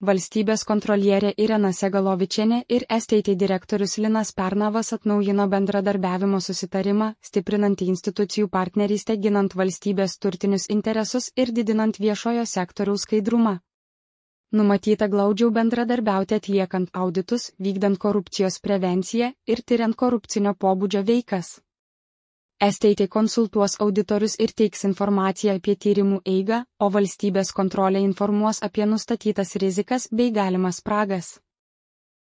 Valstybės kontrolierė Irena Segalovičienė ir STT direktorius Linas Pernavas atnaujino bendradarbiavimo susitarimą, stiprinantį institucijų partnerystę ginant valstybės turtinius interesus ir didinant viešojo sektoriaus skaidrumą. Numatyta glaudžiau bendradarbiauti atliekant auditus, vykdant korupcijos prevenciją ir tyriant korupcinio pobūdžio veikas. STT konsultuos auditorius ir teiks informaciją apie tyrimų eigą, o valstybės kontrolė informuos apie nustatytas rizikas bei galimas spragas.